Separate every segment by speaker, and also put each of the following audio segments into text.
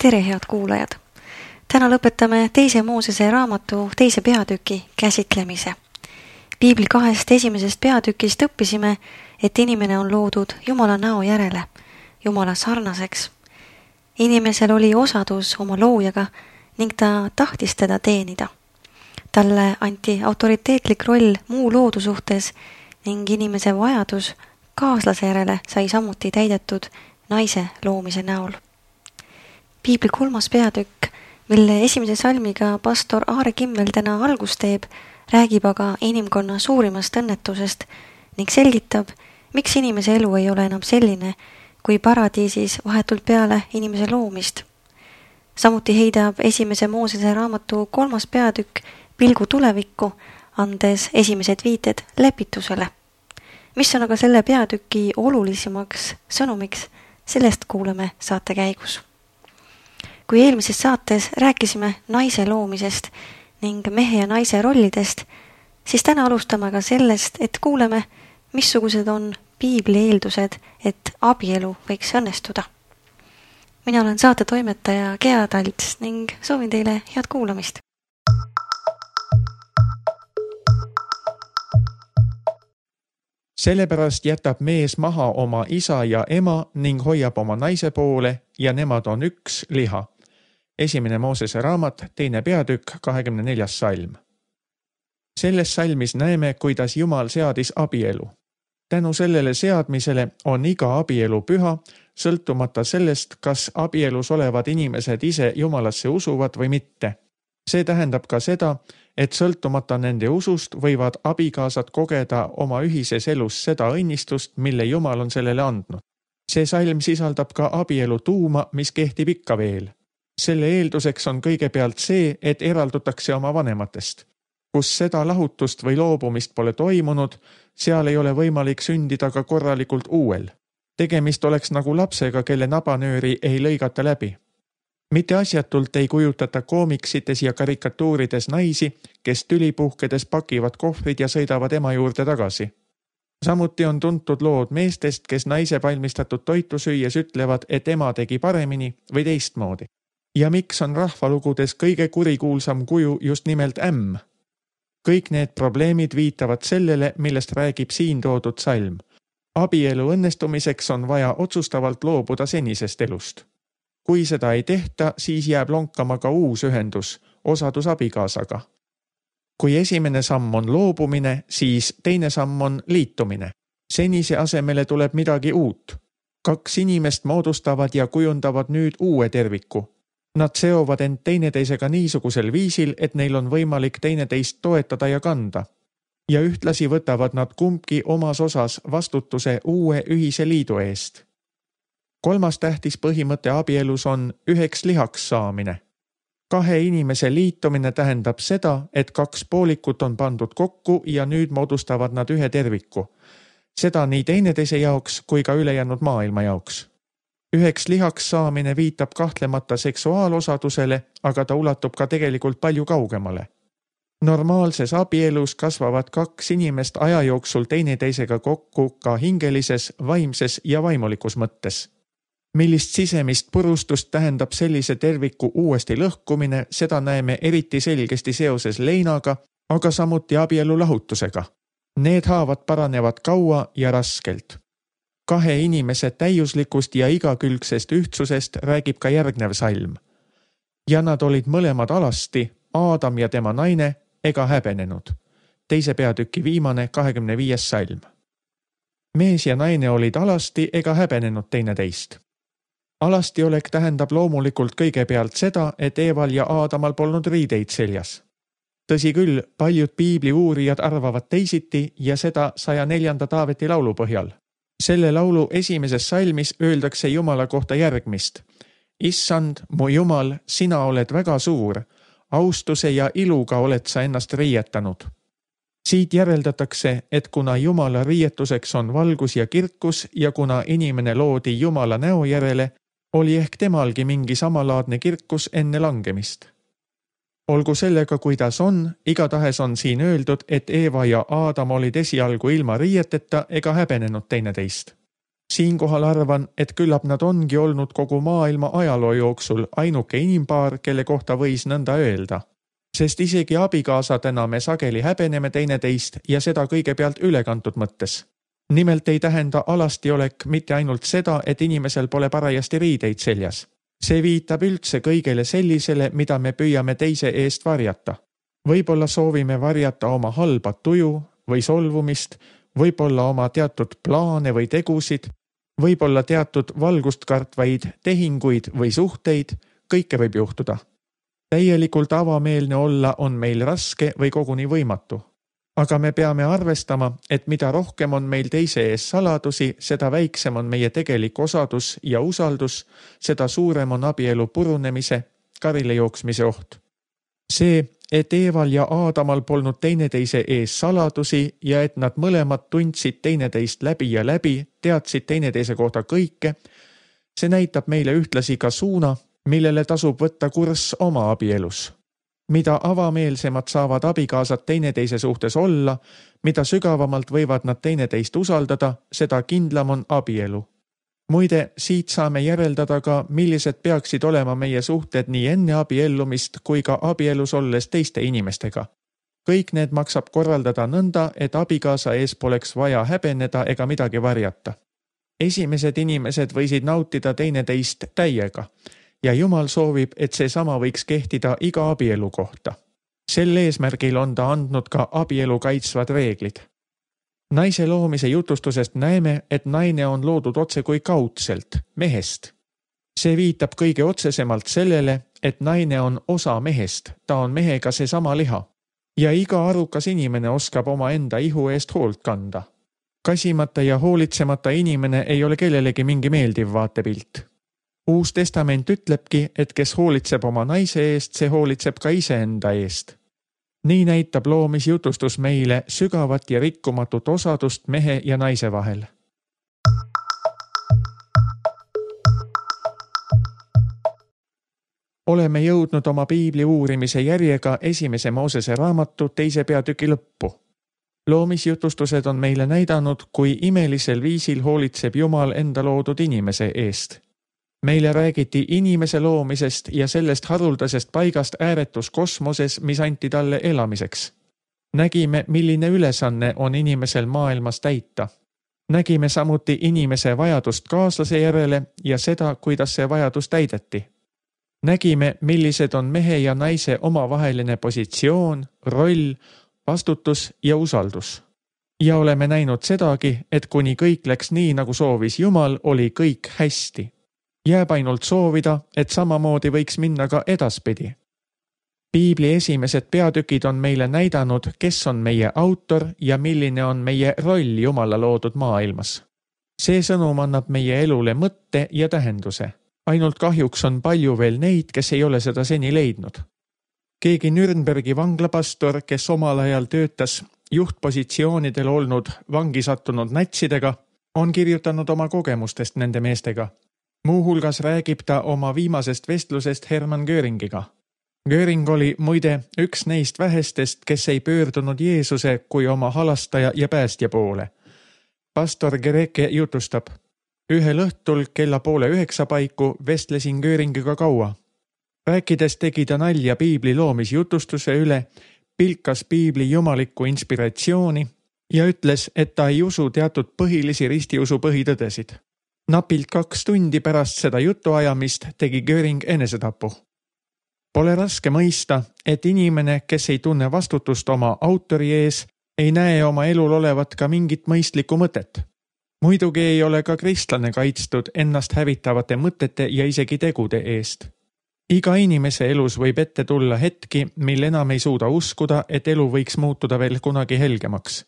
Speaker 1: Tere, head kuulajad! Täna lõpetame 2. Moosese raamatu 2. peatüki käsitlemise. Piibli 2 esimesest peatükist õppisime, et inimene on loodud Jumala näo järele, Jumala sarnaseks. Inimesel oli osadus oma loojaga ning ta tahtis teda teenida. Talle anti autoriteetlik roll muu loodu suhtes ning inimese vajadus kaaslase järele sai samuti täidetud naise loomise näol. Piibli 3. peatükk, mille esimese salmiga pastor Aare Kimmel täna algust teeb, räägib aga inimkonna suurimast õnnetusest ning selgitab, miks inimese elu ei ole enam selline, kui paradiisis vahetult peale inimese loomist. Samuti heidab 1. Moosese raamatu 3. peatükk pilgu tulevikku, andes esimesed viited lepitusele. Mis on aga selle peatüki olulisemaks sõnumiks, sellest kuuleme saate käigus. Kui eelmises saates rääkisime naise loomisest ning mehe ja naise rollidest, siis täna alustame ka sellest, et kuuleme, missugused on Piibli eeldused, et abielu võiks õnnestuda. Mina olen saate toimetaja Gea Talts ning soovin teile head kuulamist.
Speaker 2: Sellepärast jätab mees maha oma isa ja ema ning hoiab oma naise poole ja nemad on üks liha. 1. Moosese raamat, 2. peatükk, 24. salm. Selles salmis näeme, kuidas Jumal seadis abielu. Tänu sellele seadmisele on iga abielu püha, sõltumata sellest, kas abielus olevad inimesed ise Jumalasse usuvad või mitte. See tähendab ka seda, et sõltumata nende usust võivad abikaasad kogeda oma ühises elus seda õnnistust, mille Jumal on sellele andnud. See salm sisaldab ka abielu tuuma, mis kehtib ikka veel. Selle eelduseks on kõigepealt see, et eraldutakse oma vanematest. Kus seda lahutust või loobumist pole toimunud, seal ei ole võimalik sündida ka korralikult uuel. Tegemist oleks nagu lapsega, kelle nabanööri ei lõigata läbi. Mitte asjatult ei kujutata koomiksites ja karikatuurides naisi, kes tülipuhkedes pakivad kohvrid ja sõidavad ema juurde tagasi. Samuti on tuntud lood meestest, kes naise valmistatud toitu süües ütlevad, et ema tegi paremini või teistmoodi. Ja miks on rahvalugudes kõige kurikuulsam kuju just nimelt ämm? Kõik need probleemid viitavad sellele, millest räägib siin toodud salm. Abielu õnnestumiseks on vaja otsustavalt loobuda senisest elust. Kui seda ei tehta, siis jääb lonkama ka uus ühendus, osadus abikaasaga. Kui esimene samm on loobumine, siis teine samm on liitumine. Senise asemele tuleb midagi uut. 2 inimest moodustavad ja kujundavad nüüd uue terviku. Nad seovad end teineteisega niisugusel viisil, et neil on võimalik teineteist toetada ja kanda. Ja ühtlasi võtavad nad kumbki omas osas vastutuse uue ühise liidu eest. 3. tähtis põhimõte abielus on üheks lihaks saamine. 2 inimese liitumine tähendab seda, et 2 poolikut on pandud kokku ja nüüd moodustavad nad ühe terviku. Seda nii teineteise jaoks kui ka ülejäänud maailma jaoks. Üheks lihaks saamine viitab kahtlemata seksuaalosadusele, aga ta ulatub ka tegelikult palju kaugemale. Normaalses abielus kasvavad 2 inimest aja jooksul teineteisega kokku ka hingelises, vaimses ja vaimulikus mõttes. Millist sisemist purustust tähendab sellise terviku uuesti lõhkumine, seda näeme eriti selgesti seoses leinaga, aga samuti abielu lahutusega. Need haavad paranevad kaua ja raskelt. 2 inimese täiuslikust ja igakülgsest ühtsusest räägib ka järgnev salm. Ja nad olid mõlemad alasti, Aadam ja tema naine, ega häbenenud. 2. peatüki viimane 25. salm. Mees ja naine olid alasti ega häbenenud teineteist. Alastiolek tähendab loomulikult kõigepealt seda, et Eeval ja Aadamal polnud riideid seljas. Tõsi küll, paljud piibli uurijad arvavad teisiti ja seda 104. Taaveti laulu põhjal. Selle laulu esimeses salmis öeldakse Jumala kohta järgmist. Issand, mu Jumal, sina oled väga suur, austuse ja iluga oled sa ennast riietanud. Siit järeldatakse, et kuna Jumala riietuseks on valgus ja kirkus ja kuna inimene loodi Jumala näo järele, oli ehk temalgi mingi samalaadne kirkus enne langemist. Olgu sellega, kuidas on, igatahes on siin öeldud, et Eeva ja Aadam olid esialgu ilma riieteta ega häbenenud teineteist. Siinkohal arvan, et küllap nad ongi olnud kogu maailma ajaloo jooksul ainuke inimpaar, kelle kohta võis nõnda öelda. Sest isegi abikaasadena me sageli häbeneme teineteist ja seda kõigepealt ülekantud mõttes. Nimelt ei tähenda alastiolek mitte ainult seda, et inimesel pole parajasti riideid seljas. See viitab üldse kõigele sellisele, mida me püüame teise eest varjata. Võib-olla soovime varjata oma halba tuju või solvumist, võib-olla oma teatud plaane või tegusid, võib-olla teatud valgust kartvaid tehinguid või suhteid, kõike võib juhtuda. Täielikult avameelne olla on meil raske või koguni võimatu. Aga me peame arvestama, et mida rohkem on meil teise ees saladusi, seda väiksem on meie tegelik osadus ja usaldus, seda suurem on abielu purunemise, karile jooksmise oht. See, et Eeval ja Aadamal polnud teineteise ees saladusi ja et nad mõlemad tundsid teineteist läbi ja läbi, teadsid teineteise kohta kõike, see näitab meile ühtlasi ka suuna, millele tasub võtta kurss oma abielus. Mida avameelsemad saavad abikaasad teineteise suhtes olla, mida sügavamalt võivad nad teineteist usaldada, seda kindlam on abielu. Muide, siit saame järeldada ka, millised peaksid olema meie suhted nii enne abiellumist kui ka abielus olles teiste inimestega. Kõik need maksab korraldada nõnda, et abikaasa ees poleks vaja häbeneda ega midagi varjata. Esimesed inimesed võisid nautida teineteist täiega. Ja Jumal soovib, et see sama võiks kehtida iga abielu kohta. Sel eesmärgil on ta andnud ka abielu kaitsvad reeglid. Naise loomise jutustusest näeme, et naine on loodud otse kui kaudselt, mehest. See viitab kõige otsesemalt sellele, et naine on osa mehest, ta on mehega seesama liha. Ja iga arukas inimene oskab oma enda ihu eest hoolt kanda. Kasimata ja hoolitsemata inimene ei ole kellelegi mingi meeldiv vaatepilt. Uus testament ütlebki, et kes hoolitseb oma naise eest, see hoolitseb ka iseenda eest. Nii näitab loomisjutustus meile sügavat ja rikkumatut osadust mehe ja naise vahel. Oleme jõudnud oma piibli uurimise järjega 1. Moosese raamatu 2. peatüki lõppu. Loomisjutustused on meile näidanud, kui imelisel viisil hoolitseb Jumal enda loodud inimese eest. Meile räägiti inimese loomisest ja sellest haruldasest paigast ääretus kosmoses, mis anti talle elamiseks. Nägime, milline ülesanne on inimesel maailmas täita. Nägime samuti inimese vajadust kaaslase järele ja seda, kuidas see vajadus täideti. Nägime, millised on mehe ja naise omavaheline positsioon, roll, vastutus ja usaldus. Ja oleme näinud sedagi, et kuni kõik läks nii, nagu soovis Jumal, oli kõik hästi. Jääb ainult soovida, et samamoodi võiks minna ka edaspidi. Piibli esimesed peatükid on meile näidanud, kes on meie autor ja milline on meie roll Jumala loodud maailmas. See sõnum annab meie elule mõtte ja tähenduse. Ainult kahjuks on palju veel neid, kes ei ole seda seni leidnud. Keegi Nürnbergi vanglapastor, kes omal ajal töötas juhtpositsioonidel olnud vangi sattunud natsidega, on kirjutanud oma kogemustest nende meestega. Muuhulgas räägib ta oma viimasest vestlusest Hermann Göringiga. Göring oli muide üks neist vähestest, kes ei pöördunud Jeesuse kui oma halastaja ja päästja poole. Pastor Gereke jutustab. Ühel õhtul kella 8:30 paiku vestlesin Göringiga kaua. Rääkides tegi ta nalja piibli loomisjutustuse üle, pilkas piibli jumalikku inspiratsiooni ja ütles, et ta ei usu teatud põhilisi ristiusu põhitõdesid. Napilt 2 tundi pärast seda jutuajamist tegi Göring enesetapu. Pole raske mõista, et inimene, kes ei tunne vastutust oma autori ees, ei näe oma elul olevat ka mingit mõistlikku mõtet. Muidugi ei ole ka kristlane kaitstud ennast hävitavate mõtete ja isegi tegude eest. Iga inimese elus võib ette tulla hetki, mil enam ei suuda uskuda, et elu võiks muutuda veel kunagi helgemaks.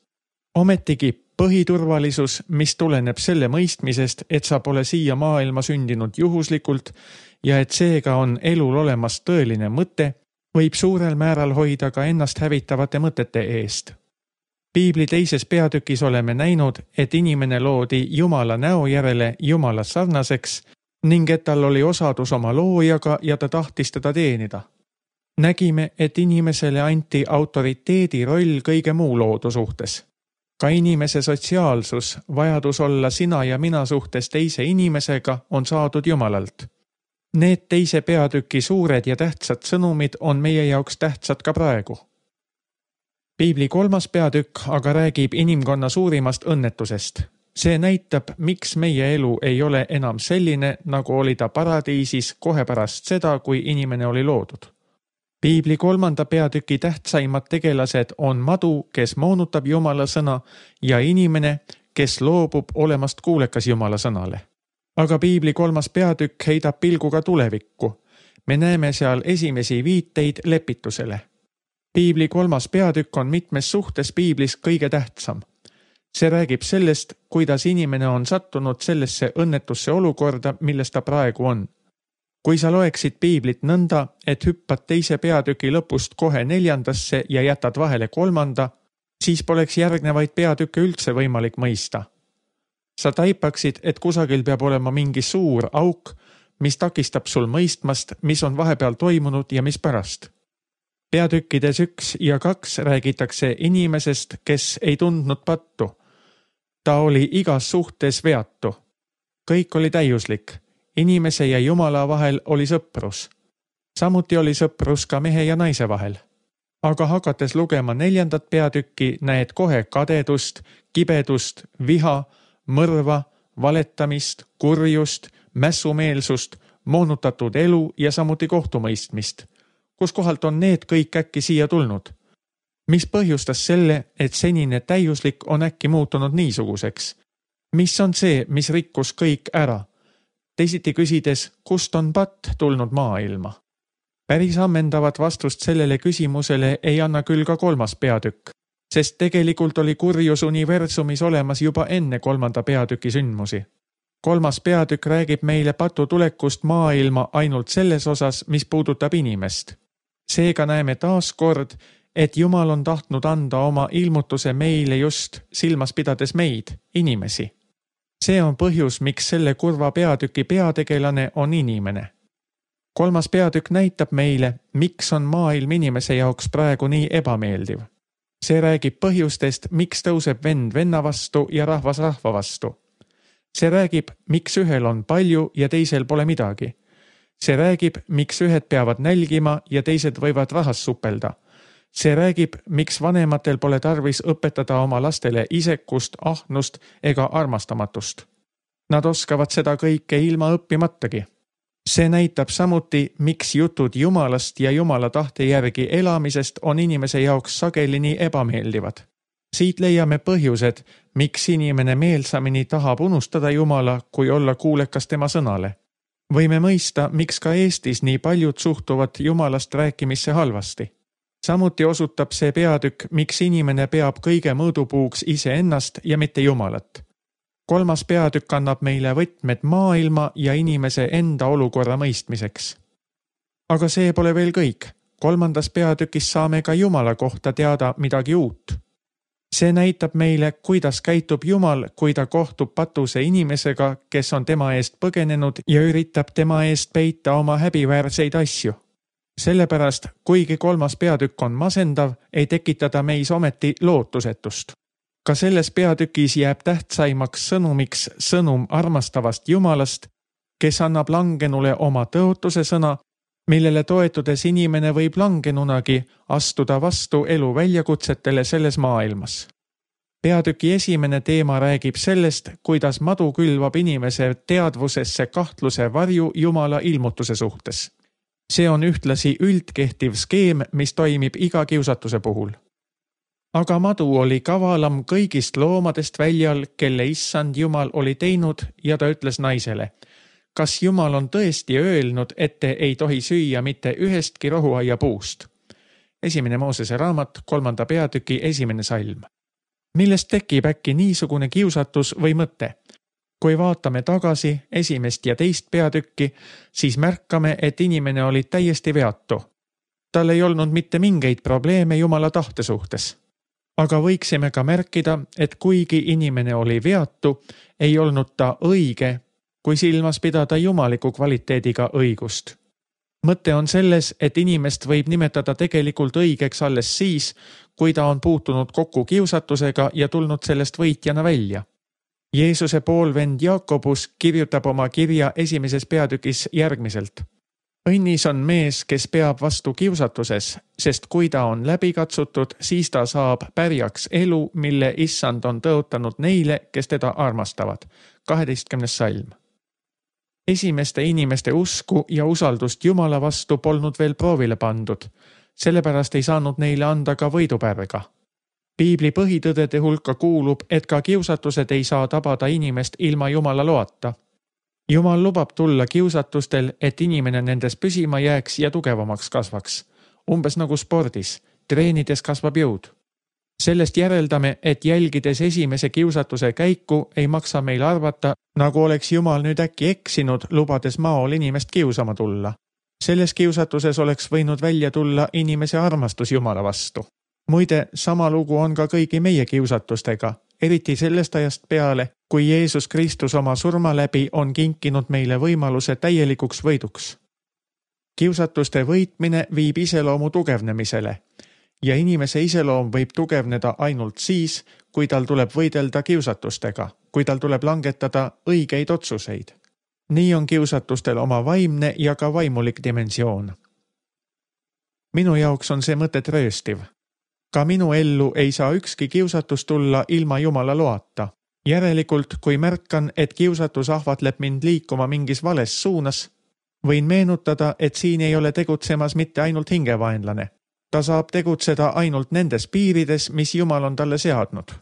Speaker 2: Ometigi põhiturvalisus, mis tuleneb selle mõistmisest, et sa pole siia maailma sündinud juhuslikult ja et seega on elul olemas tõeline mõte, võib suurel määral hoida ka ennast hävitavate mõtete eest. Piibli 2. peatükis oleme näinud, et inimene loodi Jumala näo järele Jumala sarnaseks ning et tal oli osadus oma loojaga ja ta tahtis teda teenida. Nägime, et inimesele anti autoriteedi roll kõige muu loodu suhtes. ka inimese sotsiaalsus, vajadus olla sina ja mina suhtes teise inimesega on saadud Jumalalt. Need teise peatüki suured ja tähtsad sõnumid on meie jaoks tähtsad ka praegu. Piibli 3. peatükk aga räägib inimkonna suurimast õnnetusest. See näitab, miks meie elu ei ole enam selline, nagu oli ta paradiisis kohe pärast seda, kui inimene oli loodud. Piibli 3. peatüki tähtsaimad tegelased on madu, kes moonutab Jumala sõna, ja inimene, kes loobub olemast kuulekas Jumala sõnale. Aga Piibli 3. peatükk heidab pilguga tulevikku. Me näeme seal esimesi viiteid lepitusele. Piibli 3. peatükk on mitmes suhtes Piiblis kõige tähtsam. See räägib sellest, kuidas inimene on sattunud sellesse õnnetusse olukorda, milles ta praegu on. Kui sa loeksid Piiblit nõnda, et hüppad teise peatüki lõpust kohe 4. ja jätad vahele 3., siis poleks järgnevaid peatükke üldse võimalik mõista. Sa taipaksid, et kusagil peab olema mingi suur auk, mis takistab sul mõistmast, mis on vahepeal toimunud ja mis pärast. Peatükkides 1 ja 2 räägitakse inimesest, kes ei tundnud pattu. Ta oli igas suhtes veatu. Kõik oli täiuslik. Inimese ja Jumala vahel oli sõprus. Samuti oli sõprus ka mehe ja naise vahel. Aga hakates lugema 4. peatükki, näed kohe kadedust, kibedust, viha, mõrva, valetamist, kurjust, mässumeelsust, moonutatud elu ja samuti kohtumõistmist. Kus kohalt on need kõik äkki siia tulnud? Mis põhjustas selle, et senine täiuslik on äkki muutunud niisuguseks? Mis on see, mis rikkus kõik ära? Teisiti küsides, kust on patt tulnud maailma? Päris ammendavat vastust sellele küsimusele ei anna küll ka 3. peatükk, sest tegelikult oli kurjus universumis olemas juba enne 3. peatüki sündmusi. 3. peatükk räägib meile patu tulekust maailma ainult selles osas, mis puudutab inimest. Seega näeme taas kord, et Jumal on tahtnud anda oma ilmutuse meile just silmas pidades meid, inimesi. See on põhjus, miks selle kurva peatüki peategelane on inimene. 3. peatükk näitab meile, miks on maailm inimese jaoks praegu nii ebameeldiv. See räägib põhjustest, miks tõuseb vend venna vastu ja rahvas rahva vastu. See räägib, miks ühel on palju ja teisel pole midagi. See räägib, miks ühed peavad nälgima ja teised võivad rahas supelda. See räägib, miks vanematel pole tarvis õpetada oma lastele isekust, ahnust ega armastamatust. Nad oskavad seda kõike ilma õppimatagi. See näitab samuti, miks jutud Jumalast ja Jumala tahte järgi elamisest on inimese jaoks sageli nii ebameeldivad. Siit leiame põhjused, miks inimene meelsamini tahab unustada Jumala, kui olla kuulekas tema sõnale. Võime mõista, miks ka Eestis nii paljud suhtuvad Jumalast rääkimisse halvasti. Samuti osutab see peatükk, miks inimene peab kõige mõõdupuuks iseennast ja mitte Jumalat. 3. peatükk annab meile võtmed maailma ja inimese enda olukorra mõistmiseks. Aga see pole veel kõik. 3. peatükis saame ka Jumala kohta teada midagi uut. See näitab meile, kuidas käitub Jumal, kui ta kohtub patuse inimesega, kes on tema eest põgenenud ja üritab tema eest peita oma häbiväärseid asju. Sellepärast, kuigi 3. peatükk on masendav, ei tekitada meis ometi lootusetust. Ka selles peatükis jääb tähtsaimaks sõnumiks sõnum armastavast Jumalast, kes annab langenule oma tõotuse sõna, millele toetudes inimene võib langenunagi astuda vastu elu väljakutsetele selles maailmas. Peatüki esimene teema räägib sellest, kuidas madu külvab inimese teadvusesse kahtluse varju Jumala ilmutuse suhtes. See on ühtlasi üldkehtiv skeem, mis toimib iga kiusatuse puhul. Aga madu oli kavalam kõigist loomadest väljal, kelle issand Jumal oli teinud ja ta ütles naisele, kas Jumal on tõesti öelnud, et te ei tohi süüa mitte ühestki rohuaia puust? 1. Moosese raamat, 3. peatüki 1. salm. Millest tekib äkki niisugune kiusatus või mõte? Kui vaatame tagasi 1. ja 2. peatükki, siis märkame, et inimene oli täiesti veatu. Tal ei olnud mitte mingeid probleeme Jumala tahte suhtes. Aga võiksime ka märkida, et kuigi inimene oli veatu, ei olnud ta õige, kui silmas pidada jumaliku kvaliteediga õigust. mõte on selles, et inimest võib nimetada tegelikult õigeks alles siis, kui ta on puutunud kokku kiusatusega ja tulnud sellest võitjana välja. Jeesuse poolvend Jaakobus kirjutab oma kirja 1. peatükis järgmiselt. Õnnis on mees, kes peab vastu kiusatuses, sest kui ta on läbi katsutud, siis ta saab pärjaks elu, mille issand on tõotanud neile, kes teda armastavad. 12. salm. Esimeste inimeste usku ja usaldust Jumala vastu polnud veel proovile pandud, sellepärast ei saanud neile anda ka võidupärga. Piibli põhitõdede hulka kuulub, et ka kiusatused ei saa tabada inimest ilma Jumala loata. Jumal lubab tulla kiusatustel, et inimene nendes püsima jääks ja tugevamaks kasvaks. Umbes nagu spordis, treenides kasvab jõud. Sellest järeldame, et jälgides esimese kiusatuse käiku ei maksa meil arvata, nagu oleks Jumal nüüd äkki eksinud, lubades maol inimest kiusama tulla. Selles kiusatuses oleks võinud välja tulla inimese armastus Jumala vastu. Muide, sama lugu on ka kõigi meie kiusatustega, eriti sellest ajast peale, kui Jeesus Kristus oma surma läbi on kinkinud meile võimaluse täielikuks võiduks. Kiusatuste võitmine viib iseloomu tugevnemisele ja inimese iseloom võib tugevneda ainult siis, kui tal tuleb võidelda kiusatustega, kui tal tuleb langetada õigeid otsuseid. Nii on kiusatustel oma vaimne ja ka vaimulik dimensioon. Minu jaoks on see mõte trööstiv. Ka minu ellu ei saa ükski kiusatus tulla ilma Jumala loata. Järelikult, kui märkan, et kiusatus ahvatleb mind liikuma mingis vales suunas, võin meenutada, et siin ei ole tegutsemas mitte ainult hingevaenlane. Ta saab tegutseda ainult nendes piirides, mis Jumal on talle seadnud.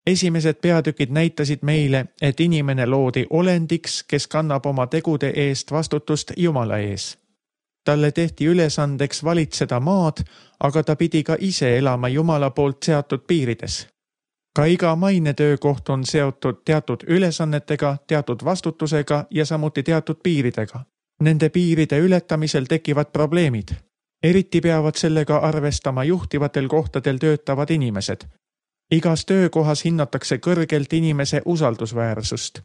Speaker 2: Esimesed peatükid näitasid meile, et inimene loodi olendiks, kes kannab oma tegude eest vastutust Jumala ees. Talle tehti ülesandeks valitseda maad, aga ta pidi ka ise elama Jumala poolt seatud piirides. Ka iga maine töökoht on seotud teatud ülesannetega, teatud vastutusega ja samuti teatud piiridega. Nende piiride ületamisel tekivad probleemid. Eriti peavad sellega arvestama juhtivatel kohtadel töötavad inimesed. Igas töökohas hinnatakse kõrgelt inimese usaldusväärsust.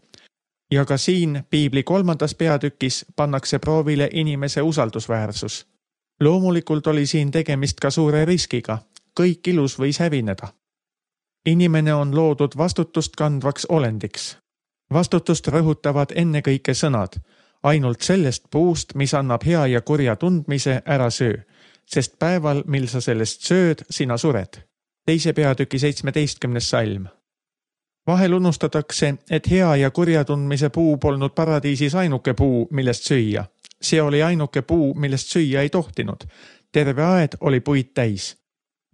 Speaker 2: Ja ka siin Piibli 3. peatükis pannakse proovile inimese usaldusväärsus. Loomulikult oli siin tegemist ka suure riskiga. Kõik ilus võis hävineda. Inimene on loodud vastutust kandvaks olendiks. Vastutust rõhutavad ennekõike sõnad. Ainult sellest puust, mis annab hea ja kurja tundmise, ära söö, sest päeval, mil sa sellest sööd, sina sured. 2. peatüki 17. salm. Vahel unustatakse, et hea ja kurja tundmise puu polnud paradiisis ainuke puu, millest süüa. See oli ainuke puu, millest süüa ei tohtinud. Terve aed oli puid täis.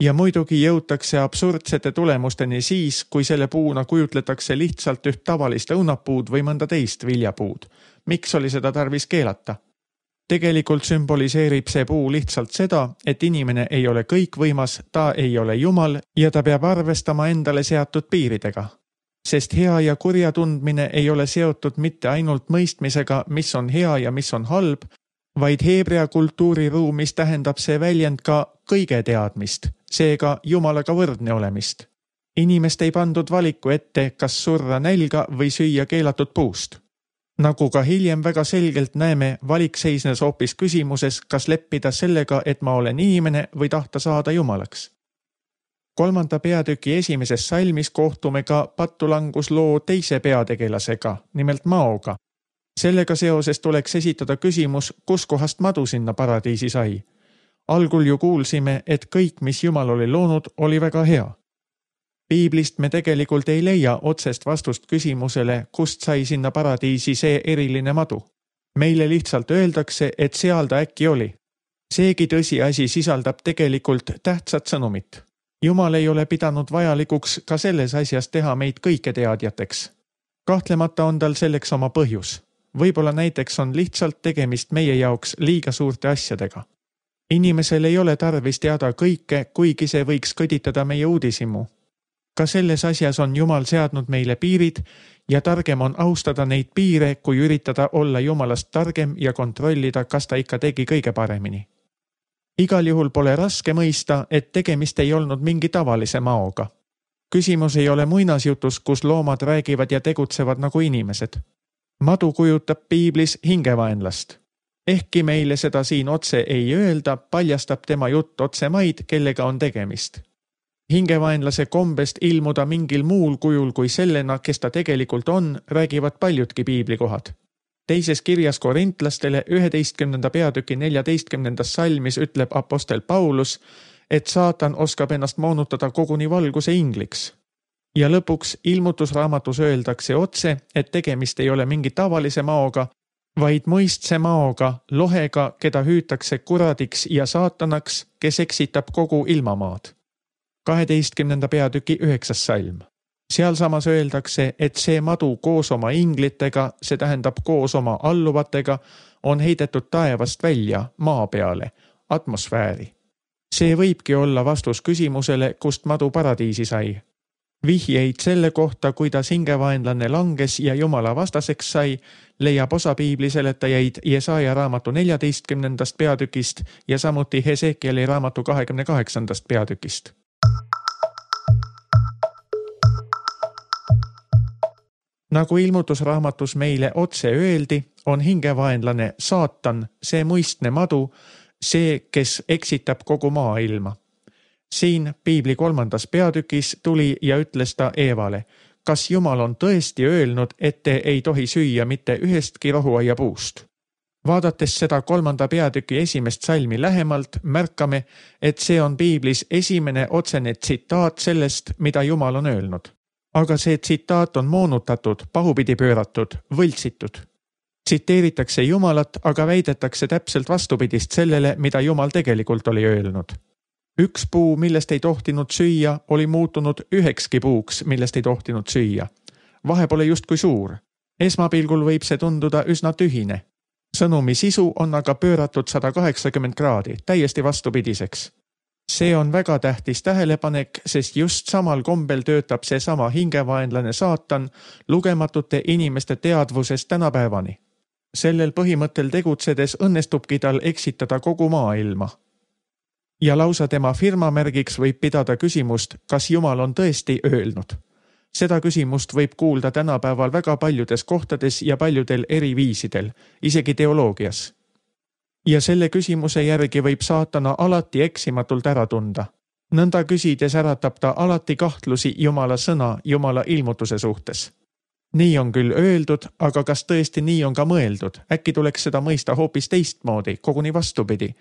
Speaker 2: Ja muidugi jõutakse absurdsete tulemusteni siis, kui selle puuna kujutletakse lihtsalt üht tavalist õunapuud või mõnda teist viljapuud. Miks oli seda tarvis keelata? Tegelikult sümboliseerib see puu lihtsalt seda, et inimene ei ole kõikvõimas, ta ei ole Jumal ja ta peab arvestama endale seatud piiridega. Sest hea ja kurja tundmine ei ole seotud mitte ainult mõistmisega, mis on hea ja mis on halb, vaid heebrea kultuuriruumis tähendab see väljend ka kõige teadmist, seega Jumalaga võrdne olemist. Inimest ei pandud valiku ette, kas surra nälga või süüa keelatud puust. Nagu ka hiljem väga selgelt näeme, valik seisnes hoopis küsimuses, kas leppida sellega, et ma olen inimene või tahta saada Jumalaks. 3. peatüki 1. salmis kohtume ka pattulangusloo 2. peategelasega, nimelt Maoga. Sellega seoses tuleks esitada küsimus, kus kohast madu sinna paradiisi sai. Algul ju kuulsime, et kõik, mis Jumal oli loonud, oli väga hea. Piiblist me tegelikult ei leia otsest vastust küsimusele, kust sai sinna paradiisi see eriline madu. Meile lihtsalt öeldakse, et seal ta äkki oli. Seegi tõsiasi sisaldab tegelikult tähtsat sõnumit. Jumal ei ole pidanud vajalikuks ka selles asjas teha meid kõike teadjateks. Kahtlemata on tal selleks oma põhjus. Võib-olla näiteks on lihtsalt tegemist meie jaoks liiga suurte asjadega. Inimesel ei ole tarvis teada kõike, kuigi see võiks kõditada meie uudishimu. Ka selles asjas on Jumal seadnud meile piirid ja targem on austada neid piire, kui üritada olla Jumalast targem ja kontrollida, kas ta ikka tegi kõige paremini. Igal juhul pole raske mõista, et tegemist ei olnud mingi tavalise Maoga. Küsimus ei ole muinasjutus, kus loomad räägivad ja tegutsevad nagu inimesed. Madu kujutab piiblis hingevaenlast. Ehkki meile seda siin otse ei öelda, paljastab tema jutt otse maid, kellega on tegemist. Hingevaenlase kombest ilmuda mingil muul kujul kui sellena, kes ta tegelikult on, räägivad paljudki piiblikohad. Teises kirjas korintlastele 11. peatüki 14. salmis ütleb apostel Paulus, et saatan oskab ennast moonutada koguni valguse ingliks. Ja lõpuks ilmutusraamatus öeldakse otse, et tegemist ei ole mingi tavalise Maoga, vaid mõistse Maoga, lohega, keda hüütakse kuradiks ja saatanaks, kes eksitab kogu ilmamaad. 12. peatüki 9. salm. Seal samas öeldakse, et see madu koos oma inglitega, see tähendab koos oma alluvatega, on heidetud taevast välja, maa peale, atmosfääri. See võibki olla vastus küsimusele, kust madu paradiisi sai. Vihjeid selle kohta, kuidas hingevaenlane langes ja Jumala vastaseks sai, leiab osa piibliseletajaid Jesaja raamatu 14. peatükist ja samuti Hesekieli raamatu 28. peatükist. Nagu ilmutusraamatus meile otse öeldi, on hingevaenlane saatan, see muistne madu, see, kes eksitab kogu maailma. Siin Piibli 3. peatükis tuli ja ütles ta Eevale, kas Jumal on tõesti öelnud, et te ei tohi süüa mitte ühestki rohuaia puust. Vaadates seda 3. peatüki 1. salmi lähemalt, märkame, et see on Piiblis esimene otsene tsitaat sellest, mida Jumal on öelnud. Aga see tsitaat on moonutatud, pahupidi pööratud, võltsitud. Tsiteeritakse Jumalat, aga väidetakse täpselt vastupidist sellele, mida Jumal tegelikult oli öelnud. Üks puu, millest ei tohtinud süüa, oli muutunud 9 puuks, millest ei tohtinud süüa. Vahe pole justkui suur. Esmapilgul võib see tunduda üsna tühine. Sõnumi sisu on aga pööratud 180 kraadi, täiesti vastupidiseks. See on väga tähtis tähelepanek, sest just samal kombel töötab see sama hingevaenlane saatan lugematute inimeste teadvusest tänapäevani. Sellel põhimõttel tegutsedes õnnestubki tal eksitada kogu maailma. Ja lausa tema firmamärgiks võib pidada küsimust, kas Jumal on tõesti öelnud. Seda küsimust võib kuulda tänapäeval väga paljudes kohtades ja paljudel eri viisidel, isegi teoloogias. Ja selle küsimuse järgi võib saatana alati eksimatult ära tunda. Nõnda küsides äratab ta alati kahtlusi Jumala sõna, Jumala ilmutuse suhtes. Nii on küll öeldud, aga kas tõesti nii on ka mõeldud? Äkki tuleks seda mõista hoopis teistmoodi, koguni vastupidi.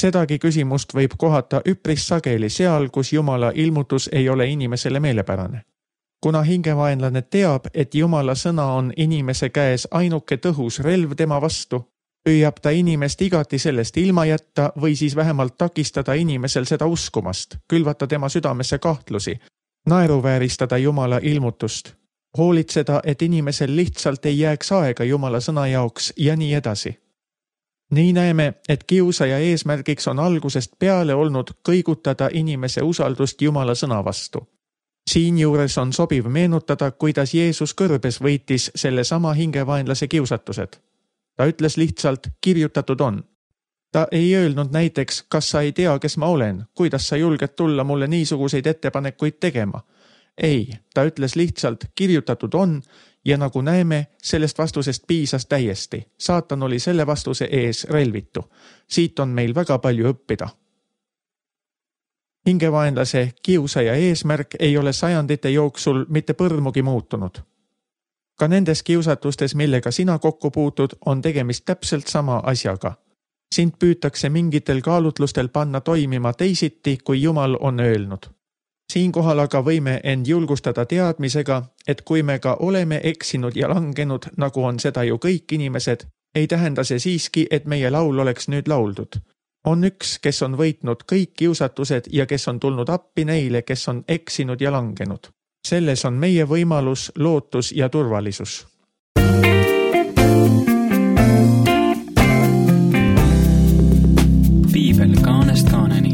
Speaker 2: Sedagi küsimust võib kohata üpris sageli seal, kus Jumala ilmutus ei ole inimesele meelepärane. Kuna hingevaenlane teab, et Jumala sõna on inimese käes ainuke tõhus relv tema vastu, püüab ta inimest igati sellest ilma jätta või siis vähemalt takistada inimesel seda uskumast, külvata tema südamesse kahtlusi, naeruvääristada Jumala ilmutust, hoolitseda, et inimesel lihtsalt ei jääks aega Jumala sõna jaoks ja nii edasi. Nii näeme, et kiusaja eesmärgiks on algusest peale olnud kõigutada inimese usaldust Jumala sõna vastu. Siinjuures on sobiv meenutada, kuidas Jeesus kõrbes võitis selle sama hingevaenlase kiusatused. Ta ütles lihtsalt, kirjutatud on. Ta ei öelnud näiteks, kas sa ei tea, kes ma olen, kuidas sa julged tulla mulle niisuguseid ettepanekuid tegema. Ei, ta ütles lihtsalt, kirjutatud on ja nagu näeme, sellest vastusest piisas täiesti. Saatan oli selle vastuse ees relvitu. Siit on meil väga palju õppida. Hingevaenlase kiusaja eesmärk ei ole sajandite jooksul mitte põrmugi muutunud. Ka nendes kiusatustes, millega sina kokku puutud, on tegemist täpselt sama asjaga. Sind püütakse mingitel kaalutlustel panna toimima teisiti, kui Jumal on öelnud. Siinkohal aga võime end julgustada teadmisega, et kui me ka oleme eksinud ja langenud, nagu on seda ju kõik inimesed, ei tähenda see siiski, et meie laul oleks nüüd lauldud. On üks, kes on võitnud kõik kiusatused ja kes on tulnud appi neile, kes on eksinud ja langenud. Selles on meie võimalus, lootus ja turvalisus.
Speaker 3: Piibel kaanest kaaneni.